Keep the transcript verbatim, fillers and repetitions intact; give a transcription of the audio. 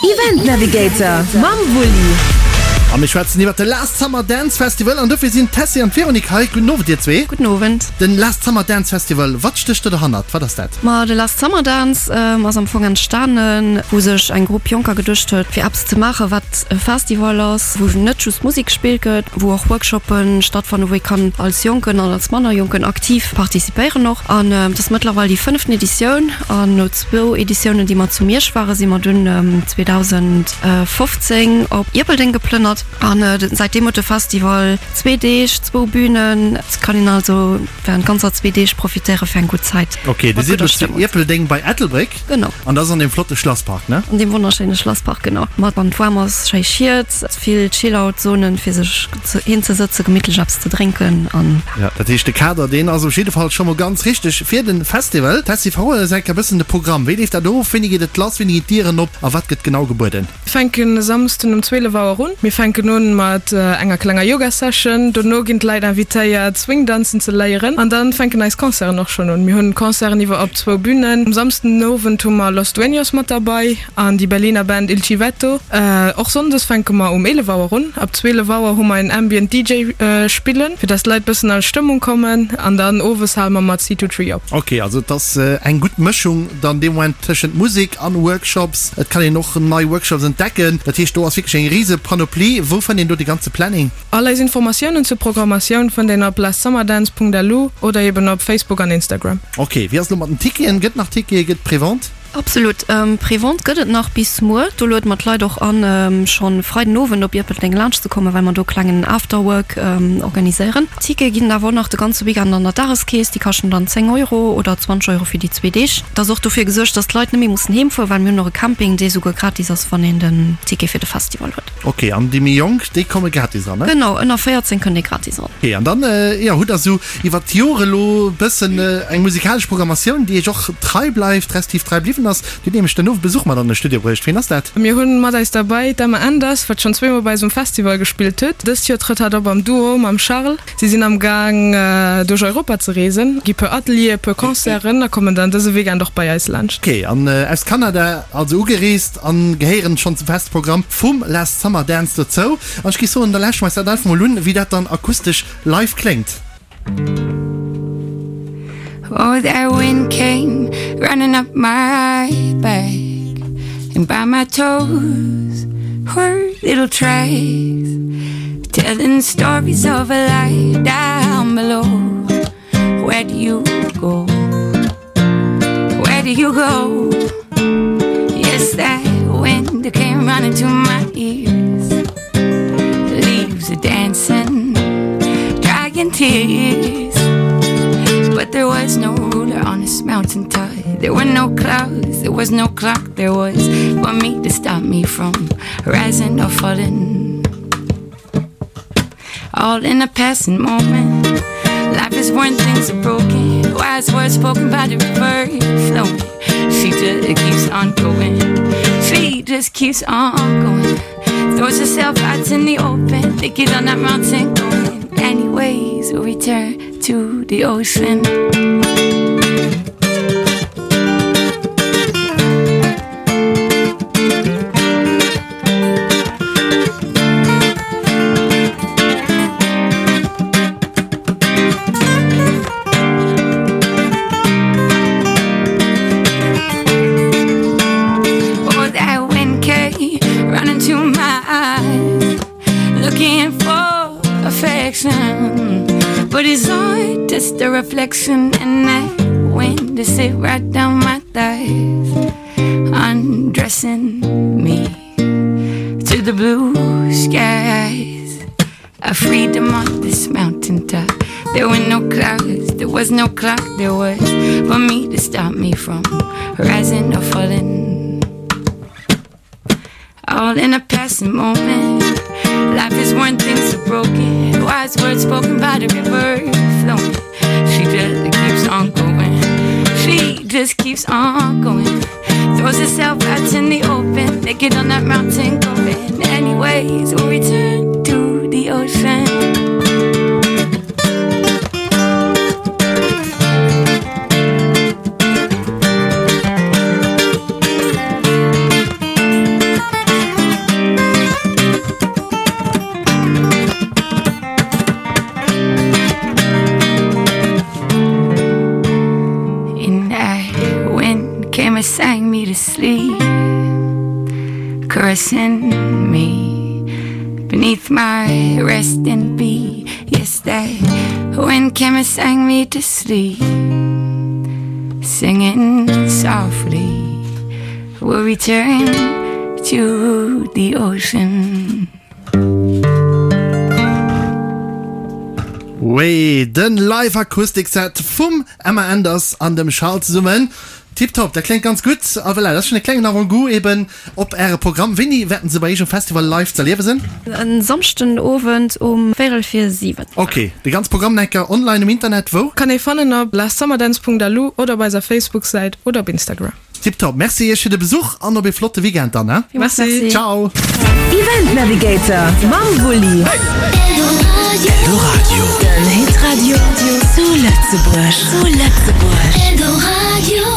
Event Navigator mam Wulli. A mir schwätzen iwwer de Last Summer Dance Festival an dofir sinn d'Tessy an d'Véronique hei. Gudden Owend dir zwee. Gudden Owend. Den Last Summer Dance Festival, wat stécht do derhannert? Wat ass dat? Ma de Last Summer Dance ass am Fong entstanen, wou sech eng Grupp Jonker geduecht huet, fir eppes ze maachen, wat e Festival ass, wou net just Musek gespillt gëtt, wou och Workshoppen stattfannen, wou ee kann als Jonken an als manner Jonken aktiv participéieren och. An et ass mëttlerweil déi fënneften Editioun an no zwou Editiounen, déi mer zu Miersch waren, si mer dunn zweedausendfofzéng op Ierpeldeng geplënnert. An säitdeem huet de Festival zwee Deeg, zwou Bünen. Et kann een also während ganzer zwee Deeg profitéiere fir eng gutt Zäit. Ok, Dir Mat sidd gudder elo zu Stëmmung. Ierpeldeng bei Ettelbréck. Genau. An dat ass an deem flotte Schlasspark, ne? An deem wonnerschéine Schlasspark, genau. Mat wann et waarm ass, schéi Schied, vill Chill-out-Zonen fir sech hinzesëtzen, gemittlech eppes ze drénken an. Jo, dat heescht de Kader, deen ass op jidde Fall scho mol ganz richteg fir de Festival. Tessy, verrol eis enk e bëssen de Programm. Wéi leeft dat of? Wéini geet et lass? Wéini ginn d'Dieren op? A wat gëtt genau gebueden? Mir fänken e Samsden um zwielef Auer un. Mir fänken un mat enger klenger Yoga Session, dono ginn d'Leit invitéiert Swing danzen ze léieren an dann fänken eis Concerten och schonn un. Mir hunn Concerten iwwer op zwou Bünen. Um Samsden den Owend hu mer Los Dueños mat derbei an déi Berliner Band Il Civetto. Och Sonndes fänke mer um eelef Auer un. Ab zwielef Auer hu mer en Ambient D J spillen, fir dass d'Leit bëssen an Stëmmung kommen an dann owes hale mer mat C Two Tree op. Ok, also et ass eng gutt Mëschung dann dee Moment tëschent Musek an Workshops. Et kann een och nei Workshops entdecken. Dat heescht, do ass wierklech eng rise Panoplie. Wou fënnt een do de ganze Planning? All eis Informatiounen zur Programmatioun fënnt een op lastsummer-dance punkt L U oder eben op Facebook an Instagram. Ok, wéi ass et elo mat den Ticketen? Gëtt nach Tickete? Gëtt Prévente? Absolut, Prévente gëtt et nach bis muer. Do luede mer d'Leit och an, schonn Freiden Owend op Ierpeldeng laanscht ze kommen, well mer do e klengen Afterwork organiséieren. Tickete ginn et awer och nach de ganze Weekend an der Dageskeess. Déi kaschten dann zéng Euro oder zwanzeg Euro fir déi zwee Deeg. Et ass och dofir gesuergt, dass d'Leit net méi mussen heem fueren, well mir hunn och e Camping, dee souguer gratis ass, wann een den Ticket fir de Festival huet. Ok, an déi méi Jonk, déi komme gratis eran, ne? Genau, ënner véierzéng kënnt ee gratis eran. Ok, an dann, jo, hutt der esou iwwer d'Jore elo e bëssen eng musikalesch Programmatioun, déi iech och trei bleift, respektiv trei bliwwen ass. Dir hutt nämlech den Owend Besuch mat an de Studio bruecht. Wien ass dat? Mir hunn mat eis derbäi d'Emma Enders, wat schonn zweemol bei eis um Festival gespillt huet. Dëst Joer trëtt hatt op am Duo mam Charles. Si sinn am Gaang duerch Europa ze reesen, gi puer Atelieren, puer Concerten a kommen dann dëse Weekend och bei eis laanscht. Ok, an aus Kanada also ugereest an gehéieren schonn zum feste Programm vum Last Summer Dance dozou. An ech géif soen, da lauschteren mer eis dat einfach mol un, wéi dat dann akustesch live kléngt. Oh, that wind came running up my back and by my toes were little tracks telling stories of a life down below. Where do you go? Where do you go? Yes, that wind came running to my ears. Leaves are dancing, drying tears. But there was no ruler on this mountain top. There were no clouds, there was no clock, there was but me to stop me from rising or falling. All in a passing moment. Life is when things are broken. Wise words spoken by the river flowing. She just keeps on going. She just keeps on going. Throws herself out in the open. Naked on that mountain going. Anyways, we'll return to the ocean. Oh, that wind came running to my eyes, looking for affection. But it's all just a reflection, and that wind to sit right down my thighs, undressing me to the blue skies. I freedom on this mountain top. There were no clouds, there was no clock, there was for me to stop me from rising or falling. All in a passing moment. Life is when things are broken. Wise words spoken by the river flowing. She just keeps on going. She just keeps on going. Throws herself out in the open. Naked on that mountain going. Anyways, we'll return to the ocean. Caressing me beneath my resting bee. Yes, that wind came and sang me to sleep, singing softly. We'll return to the ocean. Wee, den Live-Akustik-Set vum Emma Anders an dem Charles zesummen. Tiptop, dat kléngt ganz gutt. A voilà, dat ass schonn e klengen Avant-goût eben op Äre Programm. Wéini wäerten se bei Iech um Festival live z'erliewe sinn? En Samschden Owend um véierel vir siwen. Ok, de ganz Programm nach eng Kéier online um Internet, wou? Kann ee fannen op lastsummer-dance.lu oder op eiser Facebook-Säit oder op Instagram. Tiptop, Merci Iech fir de Besuch an op ee flotte Weekend dann, he? Merci. Ciao. Event Navigator mam Wulli. Eldoradio. Den Hitradio zu Lëtzebuerg. Zu Lëtzebuerg. Eldoradio.